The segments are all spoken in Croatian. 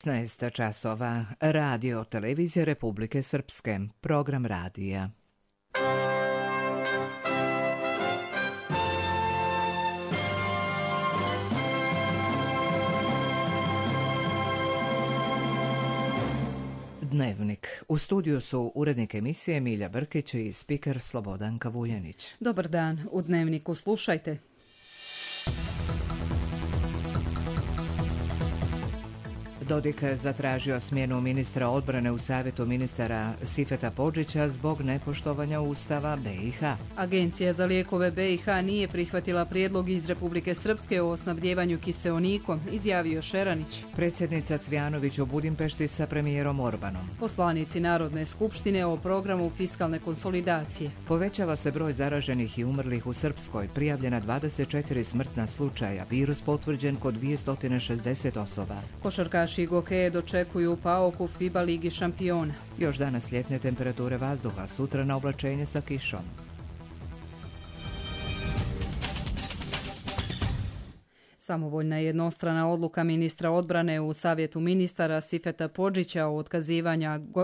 16 časova. Radio Televizija Republike Srpske. Program radija. Dnevnik. U studiju su urednik emisije Milja Brkić i spiker Slobodanka Vuljanić. Dobar dan. U Dnevniku slušajte. Dodik zatražio smjenu ministra odbrane u Savjetu ministara Sifeta Podžića zbog nepoštovanja Ustava BiH. Agencija za lijekove BiH nije prihvatila prijedlog iz Republike Srpske o snabdjevanju kiseonikom, izjavio Šeranić. Predsjednica Cvjanović u Budimpešti sa premijerom Orbanom. Poslanici Narodne skupštine o programu fiskalne konsolidacije. Povećava se broj zaraženih i umrlih u Srpskoj, prijavljena 24 smrtna slučaja, virus potvrđen kod 260 osoba. Košarkaši Gokeje dočekuju PAOK u FIBA Ligi šampiona. Još danas ljetne temperature vazduha, sutra na oblačenje sa kišom. Samovoljna jednostrana odluka ministra odbrane u Savjetu ministara Sifeta Podžića o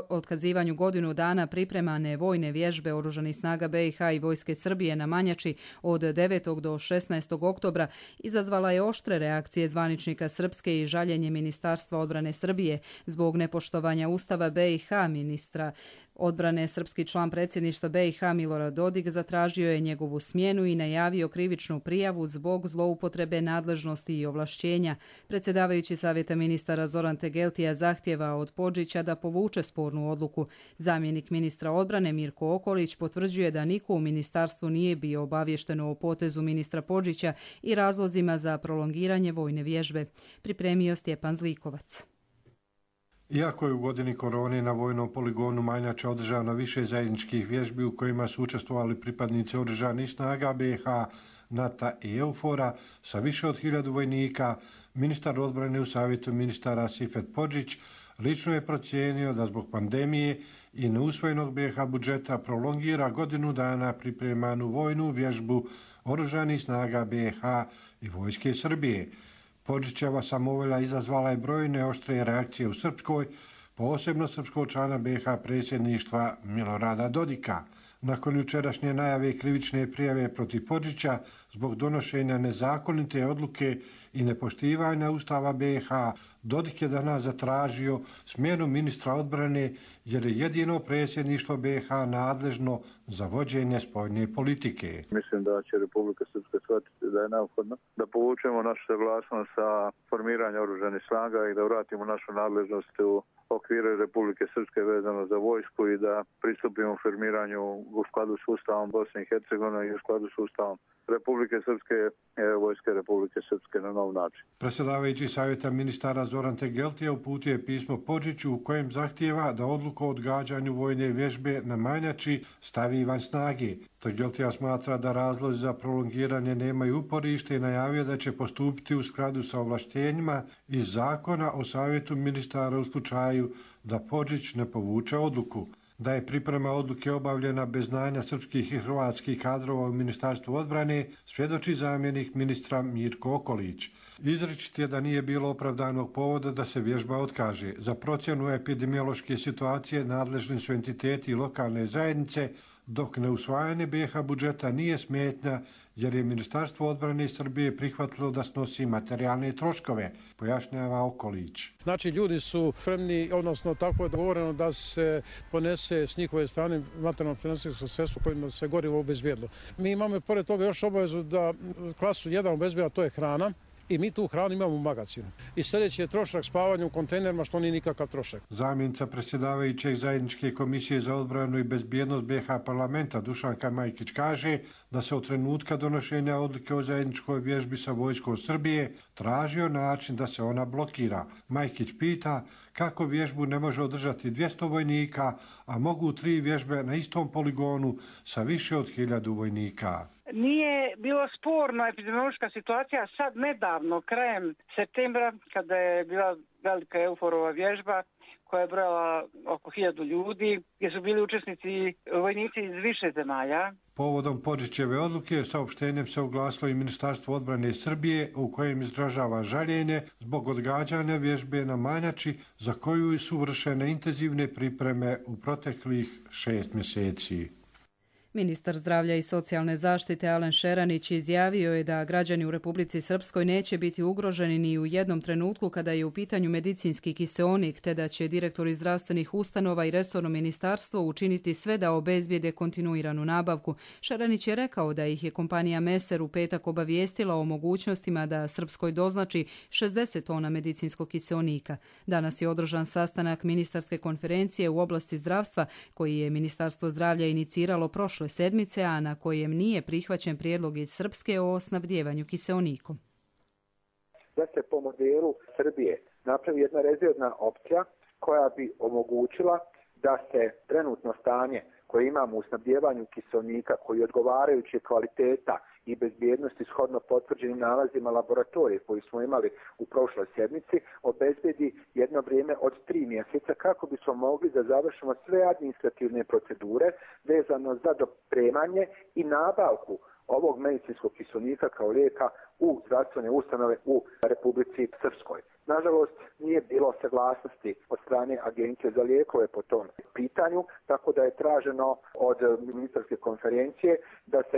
otkazivanju godinu dana pripremane vojne vježbe Oružanih snaga BiH i Vojske Srbije na Manjači od 9. do 16. oktobra izazvala je oštre reakcije zvaničnika Srpske i žaljenje Ministarstva odbrane Srbije zbog nepoštovanja Ustava BiH. Ministra odbrane srpski član predsjedništva BiH Milorad Dodik zatražio je njegovu smjenu i najavio krivičnu prijavu zbog zloupotrebe nadležnosti i ovlašćenja. Predsjedavajući Savjeta ministara Zoran Tegeltija zahtjeva od Podžića da povuče spornu odluku. Zamjenik ministra odbrane Mirko Okolić potvrđuje da niko u ministarstvu nije bio obaviješteno o potezu ministra Podžića i razlozima za prolongiranje vojne vježbe. Pripremio Stjepan Zlikovac. Iako je u godini korone na vojnom poligonu Manjača održano više zajedničkih vježbi u kojima su učestvovali pripadnici Oružanih snaga BiH, NATO i EUFOR-a sa više od 1000 vojnika, ministar odbrane u Savjetu ministara Sifet Podžić lično je procijenio da zbog pandemije i neusvojenog BiH budžeta prolongira godinu dana pripremanu vojnu vježbu Oružanih snaga BiH i Vojske Srbije. Podžićeva samovolja izazvala je brojne oštre reakcije u Srpskoj, posebno srpskog člana BiH predsjedništva Milorada Dodika. Nakon jučerašnje najave krivične prijave protiv Podžića zbog donošenja nezakonite odluke i nepoštivanja Ustava BiH, Dodik je danas zatražio smjenu ministra odbrane jer je jedino predsjedništvo BiH nadležno za vođenje spoljne politike. Mislim da će Republika Srpska shvatiti da je neophodno da povučemo našu saglasnost sa formiranjem oružanih snaga i da vratimo našu nadležnost u okvire Republike Srpske vezano za vojsku i da pristupimo formiranju u skladu s Ustavom Bosne i Hercegovine i u skladu s Ustavom Republike Srpske, Vojske Republike Srpske na nov način. Predsjedavajući Savjeta ministara Zoran Tegeltija uputio je pismo Podžiću u kojem zahtijeva da odluku o odgađanju vojne vježbe na Manjači stavi van snage. Tegeltija smatra da razlozi za prolongiranje nemaju uporište i najavio da će postupiti u skladu sa ovlaštenjima iz zakona o Savjetu ministara u slučaju da Podžić ne povuče odluku. Da je priprema odluke obavljena bez znanja srpskih i hrvatskih kadrova u Ministarstvu odbrane, svjedoči zamjenik ministra Mirko Okolić. Izričit je da nije bilo opravdanog povoda da se vježba otkaže. Za procjenu epidemiološke situacije nadležni su entiteti i lokalne zajednice, dok neusvajanje BiH budžeta nije smetnja jer je Ministarstvo odbrane Srbije prihvatilo da snosi materijalne troškove, pojašnjava Okolić. Znači ljudi su spremni, odnosno tako je dogovoreno da se ponese s njihove strane materijalno finansijsko sredstvo kojima se gorivo obezbijedilo. Mi imamo pored toga još obavezu da klasu 1 obezbijeda, to je hrana. I mi tu hranu imamo u magazinu. I sljedeći je trošak spavanja u kontejnerima, što nije nikakav trošak. Zamjenica predsjedavajućeg zajedničke komisije za odbranu i bezbjednost BiH parlamenta Dušanka Majkić kaže da se od trenutka donošenja odluke o zajedničkoj vježbi sa vojskom Srbije tražio način da se ona blokira. Majkić pita kako vježbu ne može održati 200 vojnika, a mogu 3 vježbe na istom poligonu sa više od 1000 vojnika. Nije bilo sporno epidemiološka situacija sad nedavno, krajem septembra, kada je bila velika Euforova vježba koja je brojala oko 1000 ljudi, gdje su bili učesnici vojnici iz više zemalja. Povodom Podžićeve odluke saopštenjem se oglasilo i Ministarstvo odbrane Srbije u kojem izražava žaljenje zbog odgađanja vježbe na Manjači za koju su vršene intenzivne pripreme u proteklih 6 mjeseci. Ministar zdravlja i socijalne zaštite Alen Šeranić izjavio je da građani u Republici Srpskoj neće biti ugroženi ni u jednom trenutku kada je u pitanju medicinski kiseonik, te da će direktori zdravstvenih ustanova i resorno ministarstvo učiniti sve da obezbijede kontinuiranu nabavku. Šeranić je rekao da ih je kompanija Meser u petak obavijestila o mogućnostima da Srpskoj doznači 60 tona medicinskog kiseonika. Danas je održan sastanak ministarske konferencije u oblasti zdravstva koji je Ministarstvo zdravlja iniciralo prošle sedmice, a na kojem nije prihvaćen prijedlog iz Srpske o snabdijevanju kiseonikom. Da se po modelu Srbije napravi jedna rezervna opcija koja bi omogućila da se trenutno stanje koje imamo u snabdijevanju kiseonika, koji odgovarajuće kvaliteta i bezbjednosti shodno potvrđenim nalazima laboratorije koji smo imali u prošloj sedmici, obezbedi jedno vrijeme od 3 mjeseca kako bismo mogli da završimo sve administrativne procedure vezano za dopremanje i nabavku ovog medicinskog kiseonika kao lijeka u zdravstvene ustanove u Republici Srpskoj. Nažalost, nije bilo saglasnosti od strane Agencije za lijekove po tom pitanju, tako da je traženo od ministarske konferencije da se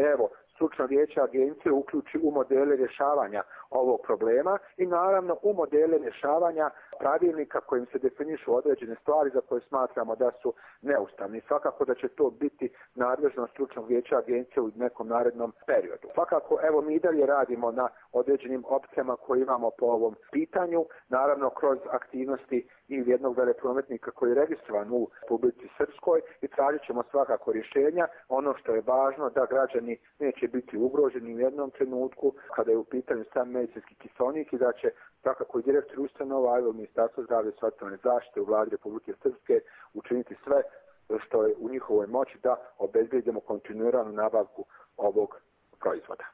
stručno vijeće agencije uključi u modele rješavanja ovog problema i naravno u modele rješavanja pravilnika kojim se definišu određene stvari za koje smatramo da su neustavni. Svakako da će to biti nadležnost stručnog vijeća agencije u nekom narednom periodu. Svakako, mi i dalje radimo na određenim opcijama koje imamo po ovom pitanju, naravno kroz aktivnosti i jednog veleprometnika koji je registrovan u Republici Srpskoj i tražit ćemo svakako rješenja. Ono što je važno da građani neće biti ugroženi u jednom trenutku kada je u pitanju sam medicinski kiseonik i da će svakako i direktor ustanova i Ministarstvo zdravlja i socijalne zaštite u Vladi Republike Srpske učiniti sve što je u njihovoj moći da obezbedimo kontinuiranu nabavku ovog proizvoda.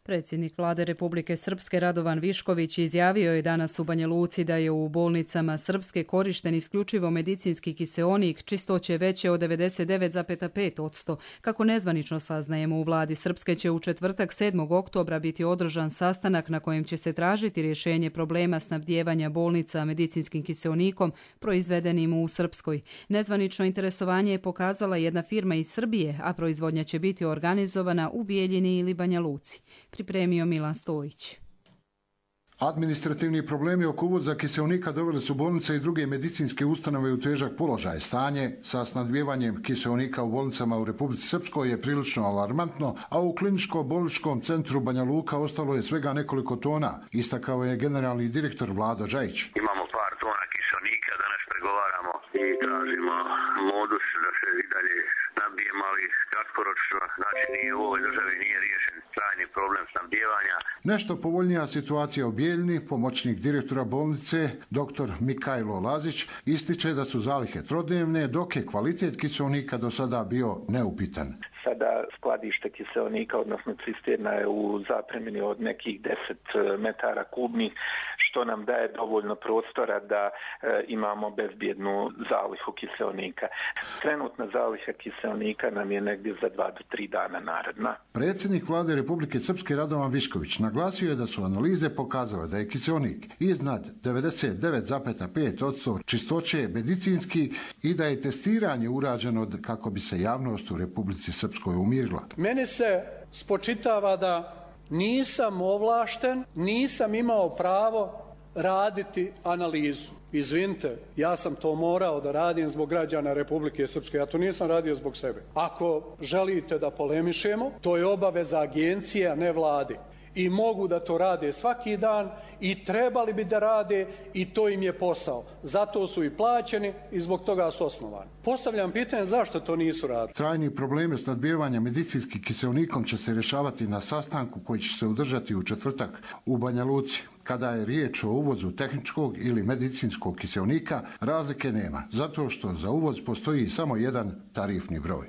Predsjednik Vlade Republike Srpske Radovan Višković izjavio je danas u Banja Luci da je u bolnicama Srpske korišten isključivo medicinski kiseonik čistoće veće od 99,5%. Kako nezvanično saznajemo, u Vladi Srpske će u četvrtak 7. oktobra biti održan sastanak na kojem će se tražiti rješenje problema snabdijevanja bolnica medicinskim kiseonikom proizvedenim u Srpskoj. Nezvanično interesovanje je pokazala jedna firma iz Srbije, a proizvodnja će biti organizovana u Bijeljini ili Banja Luci. Pripremio Milan Stojić. Administrativni problemi oko uvoza kiseonika doveli su bolnice i druge medicinske ustanove u težak položaj. Stanje sa snabdijevanjem kiseonika u bolnicama u Republici Srpskoj je prilično alarmantno, a u kliničko-bolničkom centru Banja Luka ostalo je svega nekoliko tona, istakao je generalni direktor Vlado Žajić. Imamo par tona kiseonika, danas pregovaramo i tražimo modus da se i dalje snabdijemo, ali kratkoročno, znači nije u ovoj državi nije riješen trajni problem snabdijevanja. Nešto povoljnija situacija u Bijeljini, pomoćnik direktora bolnice, dr. Mikajlo Lazić, ističe da su zalihe trodnevne, dok je kvalitet kiseonika do sada bio neupitan. Sada skladište kiseonika, odnosno cisterna je u zapremini od nekih 10 metara kubnih, što nam daje dovoljno prostora da imamo bezbjednu zalihu kiseonika. Trenutna zaliha kiseonika nam je negdje za 2 do 3 dana naredna. Predsjednik Vlade Republike Srpske Radovan Višković naglasio je da su analize pokazale da je kiseonik iznad 99,5% čistoće medicinski i da je testiranje urađeno kako bi se javnost u Republici Srpskoj umirila. Meni se spočitava da nisam ovlašten, nisam imao pravo raditi analizu. Izvinite, ja sam to morao da radim zbog građana Republike Srpske, ja to nisam radio zbog sebe. Ako želite da polemišemo, to je obaveza agencije, a ne Vlade. I mogu da to rade svaki dan i trebali bi da rade i to im je posao. Zato su i plaćeni i zbog toga su osnovani. Postavljam pitanje zašto to nisu radili. Trajni problemi snabdijevanja medicinskim kiseonikom će se rješavati na sastanku koji će se održati u četvrtak u Banja Luci. Kada je riječ o uvozu tehničkog ili medicinskog kiseonika, razlike nema, zato što za uvoz postoji samo jedan tarifni broj.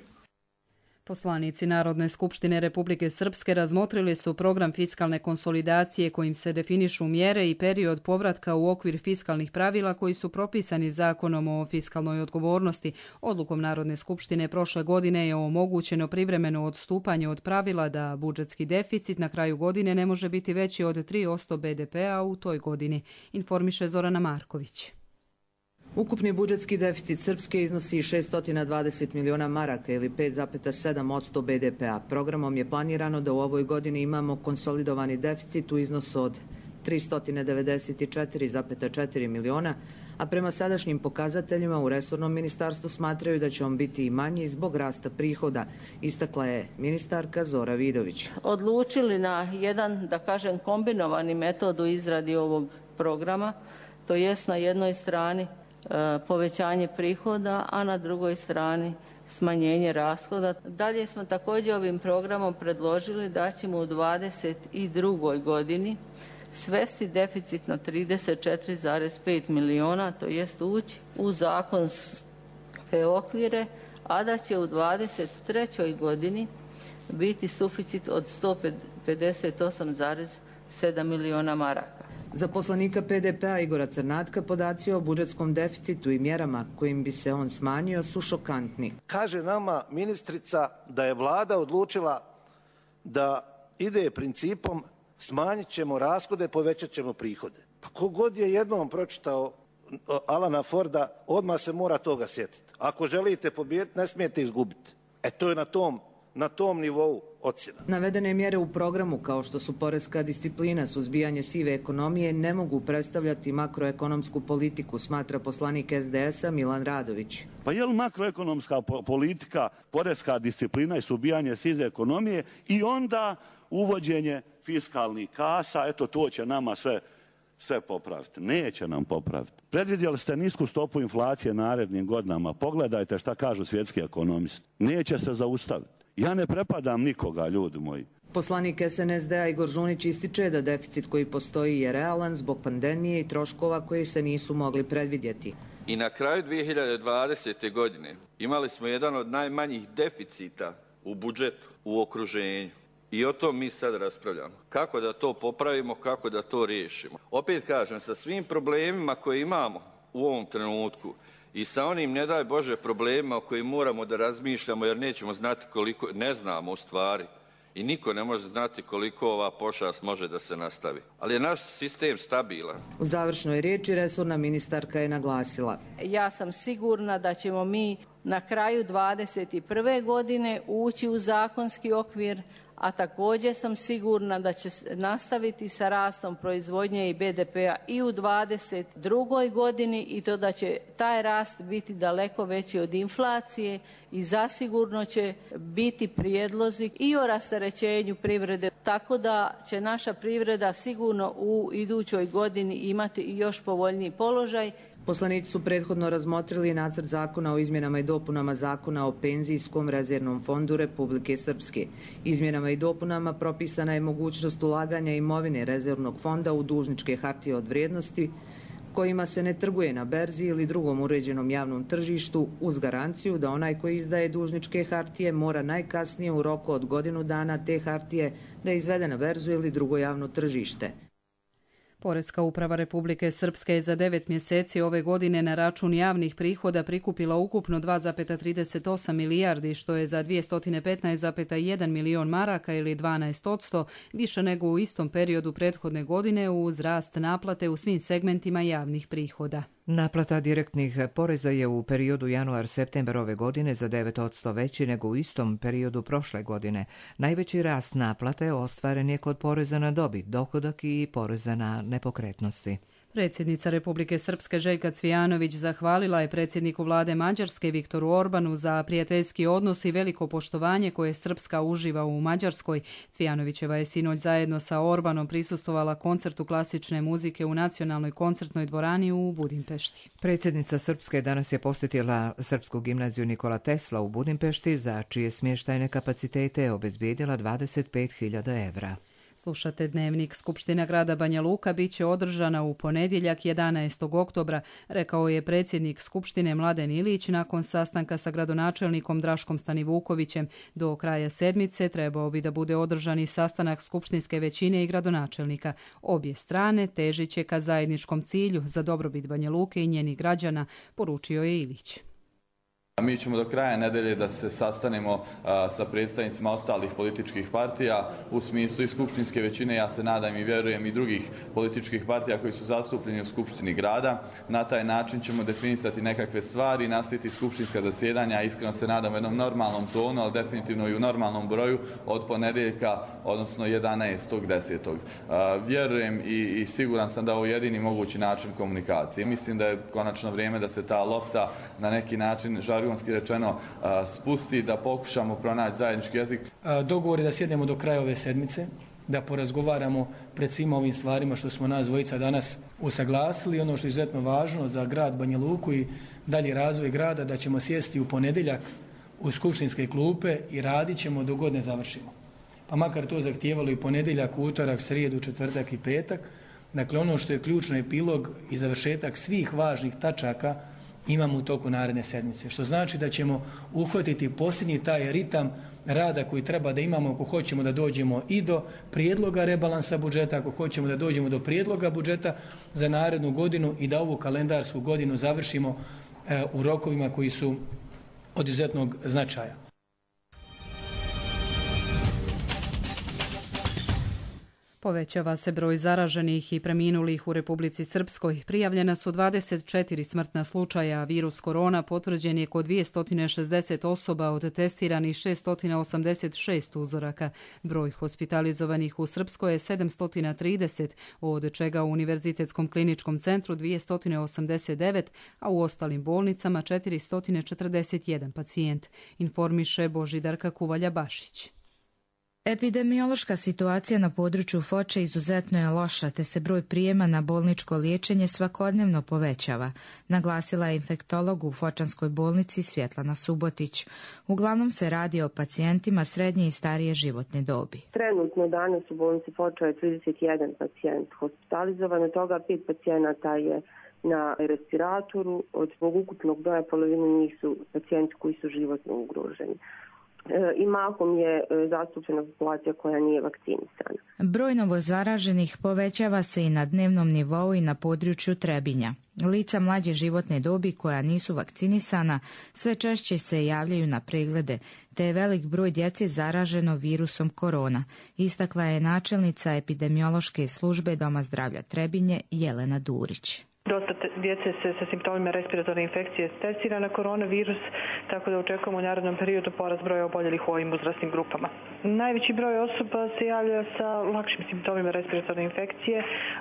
Poslanici Narodne skupštine Republike Srpske razmotrili su program fiskalne konsolidacije kojim se definišu mjere i period povratka u okvir fiskalnih pravila koji su propisani Zakonom o fiskalnoj odgovornosti. Odlukom Narodne skupštine prošle godine je omogućeno privremeno odstupanje od pravila da budžetski deficit na kraju godine ne može biti veći od 3% BDP-a u toj godini, informiše Zorana Marković. Ukupni budžetski deficit Srpske iznosi 620 miliona maraka ili 5,7% BDP-a. Programom je planirano da u ovoj godini imamo konsolidovani deficit u iznosu od 394,4 miliona, a prema sadašnjim pokazateljima u resornom ministarstvu smatraju da će on biti i manji zbog rasta prihoda, istakla je ministarka Zora Vidović. Odlučili na jedan, da kažem, kombinovani metod u izradi ovog programa, to jest na jednoj strani povećanje prihoda, a na drugoj strani smanjenje rashoda. Dalje smo također ovim programom predložili da ćemo u 2022. godini svesti deficit na 34,5 miliona, to jest ući u zakonske okvire, a da će u 2023. godini biti suficit od 158,7 miliona maraka. Za poslanika PDP-a Igora Crnatka podaci o budžetskom deficitu i mjerama kojim bi se on smanjio su šokantni. Kaže nama ministrica da je vlada odlučila da ide principom smanjit ćemo rashode, povećat ćemo prihode. Pa kogod je jednom pročitao Alana Forda, odmah se mora toga sjetiti. Ako želite pobijediti, ne smijete izgubiti. To je na tom nivou ocjena. Navedene mjere u programu, kao što su poreska disciplina, suzbijanje sive ekonomije, ne mogu predstavljati makroekonomsku politiku, smatra poslanik SDS-a Milan Radović. Pa je li makroekonomska politika, poreska disciplina i suzbijanje sive ekonomije i onda uvođenje fiskalnih kasa, to će nama sve popraviti. Neće nam popraviti. Predvidjeli ste nisku stopu inflacije narednim godinama. Pogledajte šta kažu svjetski ekonomisti. Neće se zaustaviti. Ja ne prepadam nikoga, ljudi moji. Poslanik SNSD-a Igor Žunić ističe da deficit koji postoji je realan zbog pandemije i troškova koji se nisu mogli predvidjeti. I na kraju 2020. godine imali smo jedan od najmanjih deficita u budžetu, u okruženju. I o tom mi sad raspravljamo. Kako da to popravimo, kako da to riješimo. Opet kažem, sa svim problemima koje imamo u ovom trenutku i sa onim, ne daj Bože, problemima o kojim moramo da razmišljamo jer nećemo znati koliko, ne znamo u stvari i niko ne može znati koliko ova pošast može da se nastavi. Ali je naš sistem stabilan. U završnoj riječi resorna ministarka je naglasila. Ja sam sigurna da ćemo mi na kraju 2021. godine ući u zakonski okvir, a također sam sigurna da će nastaviti sa rastom proizvodnje i BDP-a i u 2022. godini i to da će taj rast biti daleko veći od inflacije i zasigurno će biti prijedlozi i o rasterećenju privrede, tako da će naša privreda sigurno u idućoj godini imati i još povoljniji položaj. Poslanici su prethodno razmotrili nacrt zakona o izmjenama i dopunama zakona o penzijskom rezervnom fondu Republike Srpske. Izmjenama i dopunama propisana je mogućnost ulaganja imovine rezervnog fonda u dužničke hartije od vrijednosti kojima se ne trguje na berzi ili drugom uređenom javnom tržištu uz garanciju da onaj koji izdaje dužničke hartije mora najkasnije u roku od godinu dana te hartije da izvede na berzu ili drugo javno tržište. Poreska uprava Republike Srpske je za 9 mjeseci ove godine na račun javnih prihoda prikupila ukupno 2,38 milijardi, što je za 215,1 milion maraka ili 12% više nego u istom periodu prethodne godine uz rast naplate u svim segmentima javnih prihoda. Naplata direktnih poreza je u periodu januar-septembar ove godine za 9% veći nego u istom periodu prošle godine. Najveći rast naplate ostvaren je kod poreza na dobit, dohodak i poreza na nepokretnosti. Predsjednica Republike Srpske Željka Cvijanović zahvalila je predsjedniku vlade Mađarske Viktoru Orbanu za prijateljski odnos i veliko poštovanje koje Srpska uživa u Mađarskoj. Cvijanovićeva je sinoć zajedno sa Orbanom prisustvovala koncertu klasične muzike u Nacionalnoj koncertnoj dvorani u Budimpešti. Predsjednica Srpske danas je posjetila Srpsku gimnaziju Nikola Tesla u Budimpešti, za čije smještajne kapacitete je obezbijedila 25.000 evra. Slušate Dnevnik. Skupština grada Banja Luka bit će održana u ponedjeljak 11. oktobra, rekao je predsjednik Skupštine Mladen Ilić nakon sastanka sa gradonačelnikom Draškom Stanivukovićem. Do kraja sedmice trebao bi da bude održan i sastanak skupštinske većine i gradonačelnika. Obje strane težit će ka zajedničkom cilju za dobrobit Banja Luke i njenih građana, poručio je Ilić. Mi ćemo do kraja nedelje da se sastanemo sa predstavnicima ostalih političkih partija u smislu i skupštinske većine, ja se nadam i vjerujem i drugih političkih partija koji su zastupljeni u Skupštini grada. Na taj način ćemo definisati nekakve stvari, nastaviti skupštinska zasjedanja, iskreno se nadam u jednom normalnom tonu, ali definitivno i u normalnom broju od ponedjeljka, odnosno 11.10. Vjerujem i siguran sam da je ovo jedini mogući način komunikacije. Mislim da je konačno vrijeme da se ta lopta na neki način žargonski rečeno spusti, da pokušamo pronaći zajednički jezik. Dogovor je da sjednemo do kraja ove sedmice, da porazgovaramo pred svim ovim stvarima što smo nas dvojica danas usaglasili. Ono što je izuzetno važno za grad Banja Luku i dalji razvoj grada, da ćemo sjesti u ponedjeljak u skupštinske klupe i radit ćemo dok god ne završimo. Pa makar to zahtijevalo i ponedjeljak, utorak, srijedu, četvrtak i petak. Dakle, ono što je ključno epilog i završetak svih važnih tačaka imamo u toku naredne sedmice, što znači da ćemo uhvatiti posljednji taj ritam rada koji treba da imamo ako hoćemo da dođemo i do prijedloga rebalansa budžeta, ako hoćemo da dođemo do prijedloga budžeta za narednu godinu i da ovu kalendarsku godinu završimo u rokovima koji su od izuzetnog značaja. Povećava se broj zaraženih i preminulih u Republici Srpskoj. Prijavljena su 24 smrtna slučaja. Virus korona potvrđen je kod 260 osoba od testiranih 686 uzoraka. Broj hospitalizovanih u Srpskoj je 730, od čega u Univerzitetskom kliničkom centru 289, a u ostalim bolnicama 441 pacijent, informiše Božidarka Kuvalja-Bašić. Epidemiološka situacija na području Foče izuzetno je loša, te se broj prijema na bolničko liječenje svakodnevno povećava, naglasila je infektolog u Fočanskoj bolnici Svjetlana Subotić. Uglavnom se radi o pacijentima srednje i starije životne dobi. Trenutno danas u bolnici Foča je 31 pacijent hospitalizovan, od toga 5 pacijenata je na respiratoru, od svog ukupnog broja polovine njih su pacijenti koji su životno ugroženi. I mahom je zastupljena populacija koja nije vakcinisana. Broj novozaraženih povećava se i na dnevnom nivou i na području Trebinja. Lica mlađe životne dobi koja nisu vakcinisana sve češće se javljaju na preglede, te je velik broj djece zaraženo virusom korona, istakla je načelnica epidemiološke službe Doma zdravlja Trebinje Jelena Durić. Dosta djece se sa simptomima respiratorne infekcije testira na koronavirus, tako da očekujemo u narednom periodu porast broja oboljelih u ovim uzrasnim grupama. Najveći broj osoba se javlja sa lakšim simptomima respiratorne infekcije,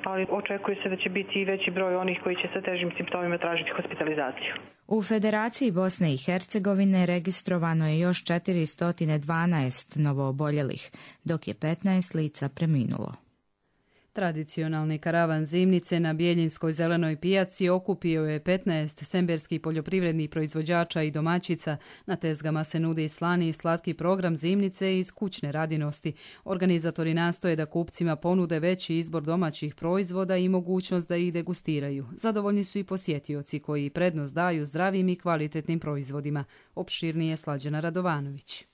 ali očekuje se da će biti i veći broj onih koji će sa težim simptomima tražiti hospitalizaciju. U Federaciji Bosne i Hercegovine registrovano je još 412 novooboljelih, dok je 15 lica preminulo. Tradicionalni karavan zimnice na Bijeljinskoj zelenoj pijaci okupio je 15 semberskih poljoprivrednih proizvođača i domaćica. Na tezgama se nudi slani i slatki program zimnice iz kućne radinosti. Organizatori nastoje da kupcima ponude veći izbor domaćih proizvoda i mogućnost da ih degustiraju. Zadovoljni su i posjetioci koji prednost daju zdravim i kvalitetnim proizvodima. Opširnije Slađana Radovanović.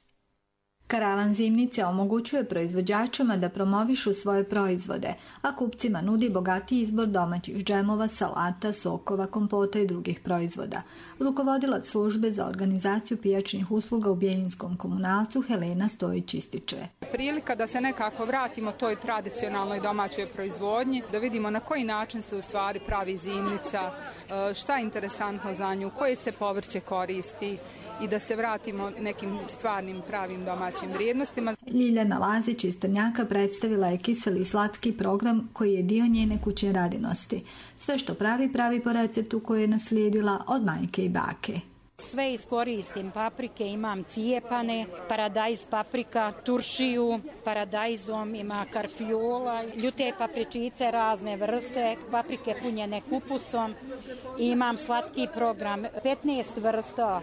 Karavan zimnice omogućuje proizvođačima da promovišu svoje proizvode, a kupcima nudi bogatiji izbor domaćih džemova, salata, sokova, kompota i drugih proizvoda. Rukovodilac službe za organizaciju pijačnih usluga u Bijeljinskom komunalcu Helena Stojić ističe. Prilika da se nekako vratimo toj tradicionalnoj domaćoj proizvodnji, da vidimo na koji način se u stvari pravi zimnica, šta je interesantno za nju, koje se povrće koristi i da se vratimo nekim stvarnim pravim domaćim vrijednostima. Ljiljana Lazić iz Trnjaka predstavila je kiseli i slatki program koji je dio njene kućne radinosti. Sve što pravi po receptu koji je naslijedila od majke i bake. Sve iskoristim, paprike imam cijepane, paradajz paprika, turšiju, paradajzom ima karfiola, ljute papričice razne vrste, paprike punjene kupusom. Imam slatki program, 15 vrsta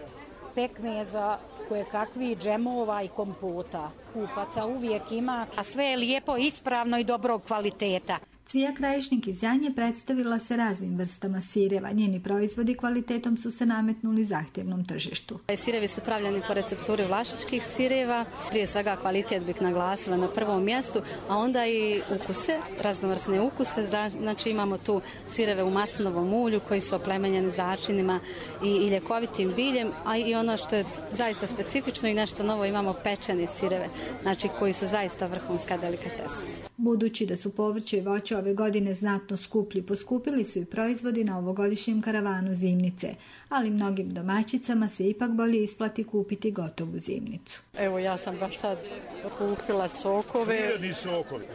pekmeza, koje kakvi džemova i kompota. Kupaca uvijek ima, a sve je lijepo, ispravno i dobrog kvaliteta. Cvija Krajišnik iz Janje predstavila se raznim vrstama sireva. Njeni proizvodi kvalitetom su se nametnuli zahtjevnom tržištu. Sirevi su pravljeni po recepturi vlašičkih sireva. Prije svega kvalitet bih naglasila na prvom mjestu, a onda i ukuse, raznovrsne ukuse. Znači imamo tu sireve u maslinovom ulju koji su oplemenjeni začinima i ljekovitim biljem, a i ono što je zaista specifično i nešto novo, imamo pečene sireve, znači koji su zaista vrhunska delikatesa. Budući da su povrće i voće ove godine znatno skuplji, poskupili su i proizvodi na ovogodišnjem karavanu zimnice, ali mnogim domaćicama se ipak bolje isplati kupiti gotovu zimnicu. Evo ja sam baš sad kupila sokove,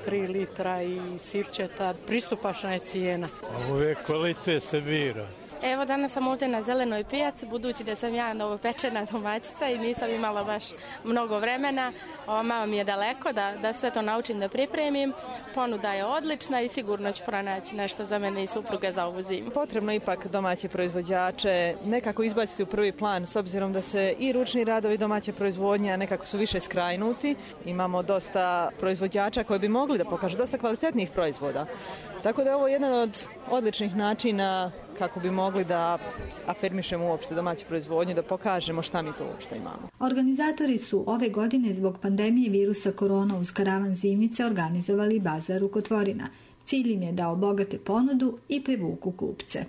3 litra i sirćeta, pristupačna je cijena. Ove kvalitet se bira. Evo danas sam ovdje na zelenoj pijaci, budući da sam ja novopečena domaćica i nisam imala baš mnogo vremena. Malo mi je daleko da sve to naučim da pripremim. Ponuda je odlična i sigurno ću pronaći nešto za mene i supruge za ovu zimu. Potrebno ipak domaće proizvođače nekako izbaciti u prvi plan, s obzirom da se i ručni radovi domaće proizvodnje nekako su više skrajnuti. Imamo dosta proizvođača koji bi mogli da pokažu dosta kvalitetnih proizvoda. Tako da je ovo jedan od odličnih načina kako bi mogli da afirmišemo uopšte domaću proizvodnju, da pokažemo šta mi to uopšte imamo. Organizatori su ove godine zbog pandemije virusa korona uz karavan zimnice organizovali bazar rukotvorina. Cilj im je da obogate ponudu i privuku kupce.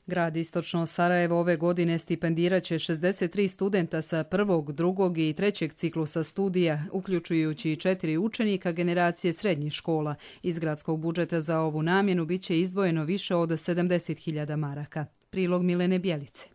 Grad Istočno Sarajevo ove godine stipendirat će 63 studenta sa prvog, drugog i trećeg ciklusa studija, uključujući 4 učenika generacije srednjih škola. Iz gradskog budžeta za ovu namjenu bit će izdvojeno više od 70.000 maraka. Prilog Milene Bjelice.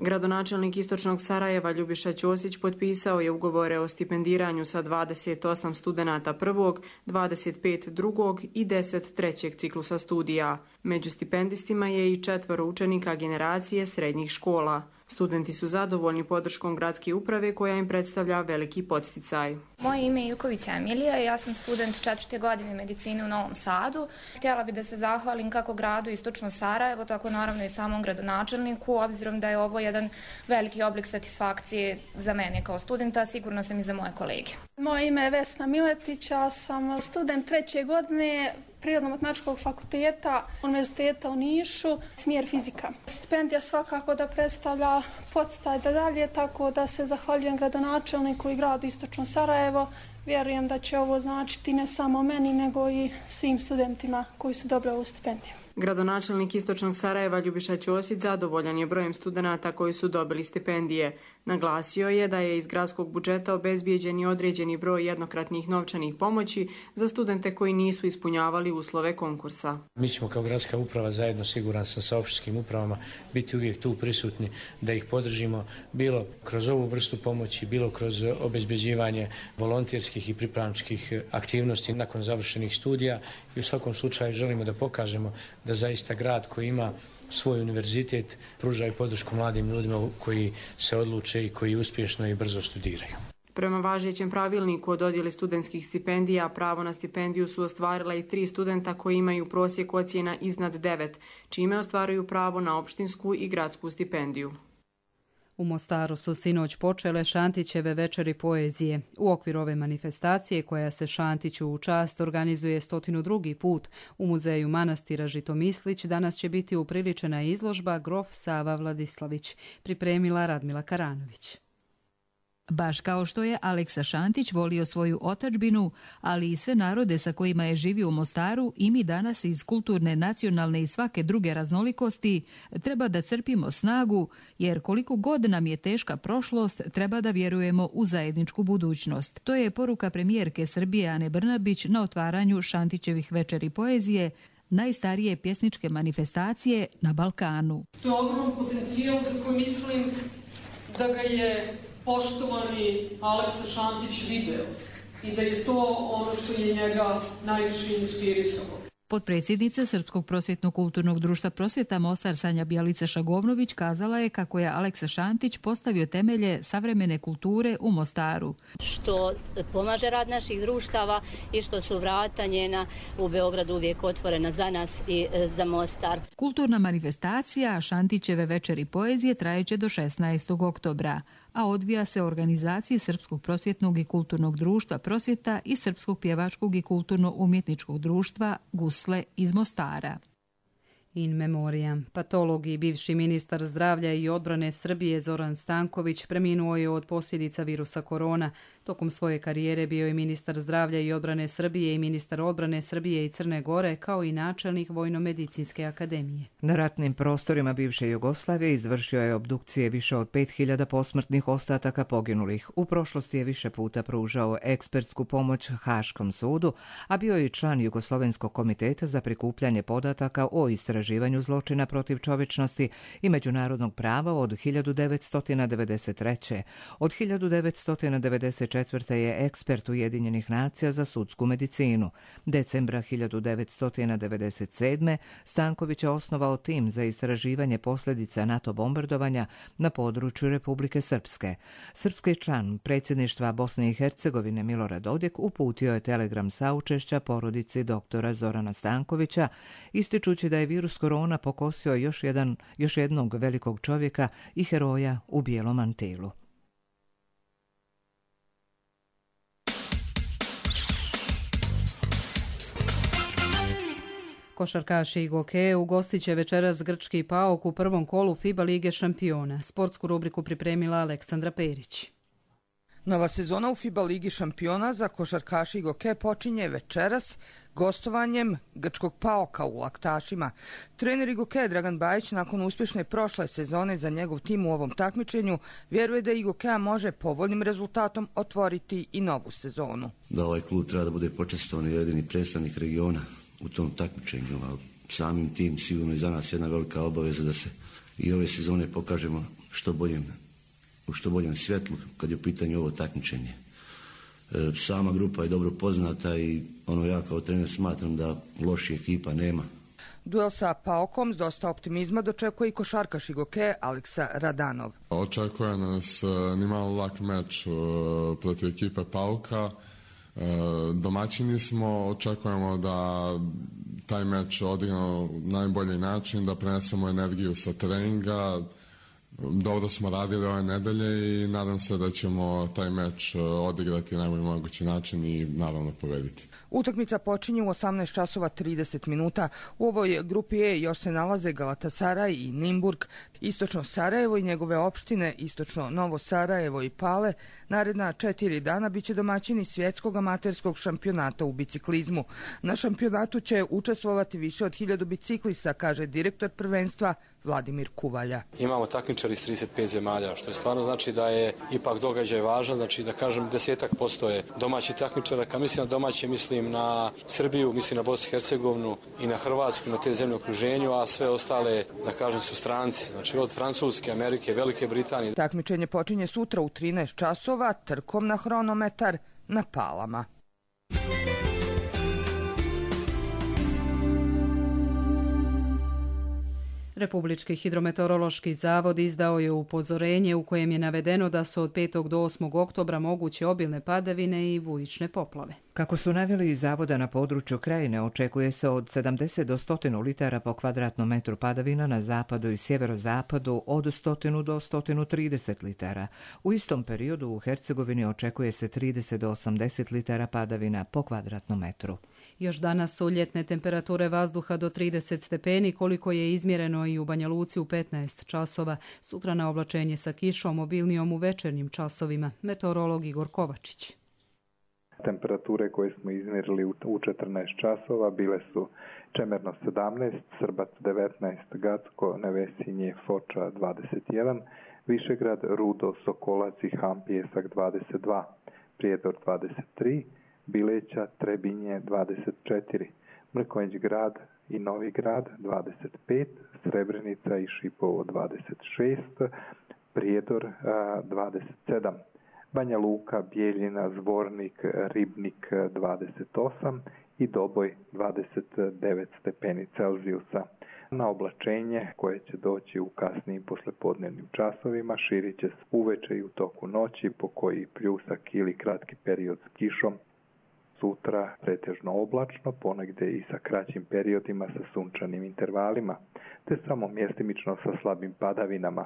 Gradonačelnik Istočnog Sarajeva Ljubiša Ćosić potpisao je ugovore o stipendiranju sa 28 studenata prvog, 25 drugog i 10 trećeg ciklusa studija. Među stipendistima je i 4 učenika generacije srednjih škola. Studenti su zadovoljni podrškom gradske uprave koja im predstavlja veliki podsticaj. Moje ime je Juković Emilija, ja sam student 4. godine medicine u Novom Sadu. Htjela bih da se zahvalim kako gradu Istočno Sarajevo, tako naravno i samom gradonačelniku, obzirom da je ovo jedan veliki oblik satisfakcije za mene kao studenta, sigurno sam i za moje kolege. Moje ime je Vesna Miletić, ja sam student 3. godine Prirodno-matematičkog fakulteta Univerziteta u Nišu, smjer fizika. Stipendija svakako da predstavlja podsticaj da dalje, tako da se zahvaljujem gradonačelniku i gradu Istočno Sarajevo. Vjerujem da će ovo značiti ne samo meni, nego i svim studentima koji su dobili ovu stipendiju. Gradonačelnik Istočnog Sarajeva Ljubiša Ćosić zadovoljan je brojem studenata koji su dobili stipendije. Naglasio je da je iz gradskog budžeta obezbijeđen i određeni broj jednokratnih novčanih pomoći za studente koji nisu ispunjavali uslove konkursa. Mi ćemo kao gradska uprava zajedno, siguran sam, sa opštinskim upravama biti uvijek tu prisutni da ih podržimo, bilo kroz ovu vrstu pomoći, bilo kroz obezbeđivanje volonterskih i pripravničkih aktivnosti nakon završenih studija i u svakom slučaju želimo da pokažemo da zaista grad koji ima svoj univerzitet pruža i podršku mladim ljudima koji se odluče i koji uspješno i brzo studiraju. Prema važećem pravilniku o dodjeli studentskih stipendija, pravo na stipendiju su ostvarila i 3 studenta koji imaju prosjek ocjena iznad 9, čime ostvaruju pravo na opštinsku i gradsku stipendiju. U Mostaru su sinoć počele Šantićeve večeri poezije. U okviru ove manifestacije, koja se Šantiću u čast organizuje 102. put u muzeju manastira Žitomislić, danas će biti upriličena izložba Grof Sava Vladislavić, pripremila Radmila Karanović. Baš kao što je Aleksa Šantić volio svoju otadžbinu, ali i sve narode sa kojima je živio u Mostaru, i mi danas iz kulturne, nacionalne i svake druge raznolikosti treba da crpimo snagu, jer koliko god nam je teška prošlost, treba da vjerujemo u zajedničku budućnost. To je poruka premijerke Srbije Ane Brnabić na otvaranju Šantićevih večeri poezije, najstarije pjesničke manifestacije na Balkanu. To je ogrom potencijal za koji mislim da ga je poštovani Aleksa Šantić video i da je to ono što je njega najviše inspirisalo. Potpredsjednica Srpskog prosvjetno-kulturnog društva Prosvjeta Mostar Sanja Bjelica-Šagovnović kazala je kako je Aleksa Šantić postavio temelje savremene kulture u Mostaru. Što pomaže rad naših društava i što su vrata njena u Beogradu uvijek otvorena za nas i za Mostar. Kulturna manifestacija Šantićeve večeri poezije trajeće do 16. oktobra, a odvija se u organizaciji Srpskog prosvjetnog i kulturnog društva Prosvjeta i Srpskog pjevačkog i kulturno-umjetničkog društva Gusle iz Mostara. In memoriam. Patolog i bivši ministar zdravlja i odbrane Srbije Zoran Stanković preminuo je od posljedica virusa korona. Tokom svoje karijere bio je ministar zdravlja i odbrane Srbije i ministar odbrane Srbije i Crne Gore, kao i načelnik Vojno-medicinske akademije. Na ratnim prostorima bivše Jugoslavije izvršio je obdukcije više od 5000 posmrtnih ostataka poginulih. U prošlosti je više puta pružao ekspertsku pomoć Haškom sudu, a bio je i član Jugoslovenskog komiteta za prikupljanje podataka o istraživanju zločina protiv čovječnosti i međunarodnog prava od 1993. Od 1994. je ekspert Ujedinjenih nacija za sudsku medicinu. Decembra 1997. Stanković je osnovao tim za istraživanje posljedica NATO bombardovanja na području Republike Srpske. Srpski član predsjedništva Bosne i Hercegovine Milorad Dodik uputio je telegram saučešća porodici doktora Zorana Stankovića, ističući da je virus korona pokosio još jednog velikog čovjeka i heroja u bijelom mantilu. Košarkaši Igoke ugostit će večeras grčki PAOK u prvom kolu FIBA Lige šampiona. Sportsku rubriku pripremila Aleksandra Perić. Nova sezona u FIBA Ligi šampiona za košarkaši Igoke počinje večeras gostovanjem grčkog PAOK-a u Laktašima. Trener Igoke Dragan Bajić nakon uspješne prošle sezone za njegov tim u ovom takmičenju vjeruje da Igokea može povoljnim rezultatom otvoriti i novu sezonu. Da ovaj klub treba da bude počastovan i jedini predstavnik regiona u tom takmičenju, a samim tim sigurno i za nas jedna velika obaveza da se i ove sezone pokažemo u što boljem svjetlu kad je u pitanju ovo takmičenje. Sama grupa je dobro poznata i ja kao trener smatram da loših ekipa nema. Duel sa PAOK-om s dosta optimizma dočekuje i košarkaš Igoke Aleksa Radanov. Očekuje nas nimalo lak meč protiv ekipe PAOK-a. Domaćini smo, očekujemo da taj meč odigramo na najbolji način, da prenesemo energiju sa treninga. Dobro smo radili ove nedelje i nadam se da ćemo taj meč odigrati na najbolji mogući način i naravno pobediti. Utakmica počinje u 18:30. U ovoj grupi E još se nalaze Galatasaraj i Nimburg, Istočno Sarajevo i njegove opštine, Istočno Novo Sarajevo i Pale. Naredna 4 dana biće domaćini svjetskog amaterskog šampionata u biciklizmu. Na šampionatu će učestvovati više od 1000 biciklista, kaže direktor prvenstva Vladimir Kuvalja. Imamo takmičari iz 35 zemalja, što je stvarno znači da je ipak događaj važan, znači da kažem 10% je domaći takmičara. Kad mislim na domaće, mislim na Srbiju, mislim na Bosnu i Hercegovinu i na Hrvatsku, na te zemlje u okruženju, a sve ostale, da kažem, su stranci, znači od Francuske, Amerike, Velike Britanije. Takmičenje počinje sutra u 13 časova, trkom na hronometar na Palama. Republički hidrometeorološki zavod izdao je upozorenje u kojem je navedeno da su od 5. do 8. oktobra moguće obilne padavine i bujične poplave. Kako su naveli iz zavoda, na području Krajine očekuje se od 70 do 100 litara po kvadratnom metru padavina, na zapadu i sjeverozapadu od 100 do 130 litara. U istom periodu u Hercegovini očekuje se 30 do 80 litara padavina po kvadratnom metru. Još danas su ljetne temperature vazduha do 30 stepeni, koliko je izmjereno i u Banja Luci u 15 časova. Sutra na oblačenje sa kišom, obilnijom u večernjim časovima. Meteorolog Igor Kovačić. Temperature koje smo izmjerili u 14 časova bile su Čemerno 17, Srbac 19, Gacko, Nevesinje, Foča 21, Višegrad, Rudo, Sokolac i Ham Pjesak 22, Prijedor 23, Bileća, Trebinje 24, Mrkonjić grad i Novi grad 25, Srebrenica i Šipovo 26, Prijedor 27, Banja Luka, Bijeljina, Zvornik, Ribnik 28 i Doboj 29 stepeni Celzijusa. Na oblačenje koje će doći u kasnijim poslepodnevnim časovima širit će se uveče i u toku noći, po koji pljusak ili kratki period s kišom. Sutra pretežno oblačno, ponegde i sa kraćim periodima sa sunčanim intervalima, te samo mjestimično sa slabim padavinama.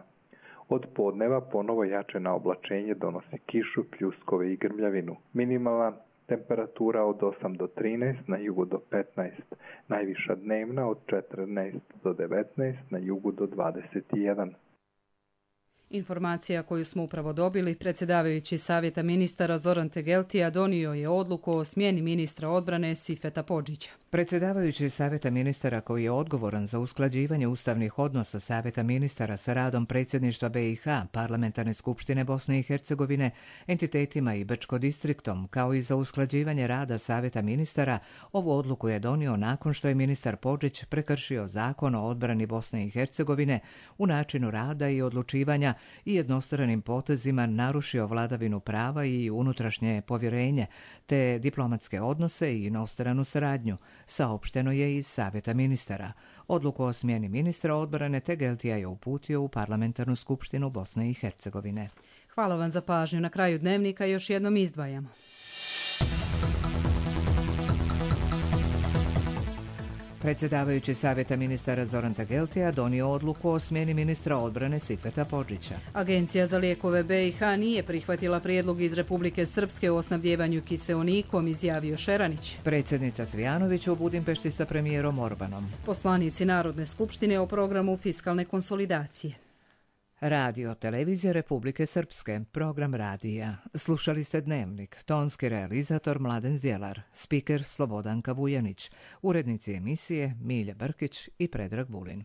Od podneva ponovo jačena oblačenje donosi kišu, pljuskove i grmljavinu. Minimalna temperatura od 8 do 13, na jugu do 15, najviša dnevna od 14 do 19, na jugu do 21. Informacija koju smo upravo dobili, predsjedavajući Savjeta ministara Zoran Tegeltija donio je odluku o smjeni ministra odbrane Sifeta Podžića. Predsjedavajući Savjeta ministara koji je odgovoran za usklađivanje ustavnih odnosa Savjeta ministara sa radom predsjedništva BiH, Parlamentarne skupštine Bosne i Hercegovine, entitetima i Brčko distriktom, kao i za usklađivanje rada Savjeta ministara, ovu odluku je donio nakon što je ministar Podžić prekršio Zakon o odbrani Bosne i Hercegovine u načinu rada i odlučivanja i jednostranim potezima narušio vladavinu prava i unutrašnje povjerenje, te diplomatske odnose i inostranu saradnju, saopšteno je iz Savjeta ministara. Odluku o smjeni ministra odbrane Tegeltija je uputio u Parlamentarnu skupštinu Bosne i Hercegovine. Hvala vam za pažnju. Na kraju dnevnika još jednom izdvajamo. Predsjedavajući Savjeta ministara Zoran Tegeltija donio odluku o smjeni ministra odbrane Sifeta Podžića. Agencija za lijekove BiH nije prihvatila prijedlog iz Republike Srpske o snabdjevanju kiseonikom, izjavio Šeranić. Predsjednica Cvijanović u Budimpešti sa premijerom Orbanom. Poslanici Narodne skupštine o programu fiskalne konsolidacije. Radio televizije Republike Srpske, program radija. Slušali ste Dnevnik, tonski realizator Mladen Zjelar, spiker Slobodanka Vujanić, urednici emisije Milja Brkić i Predrag Vulin.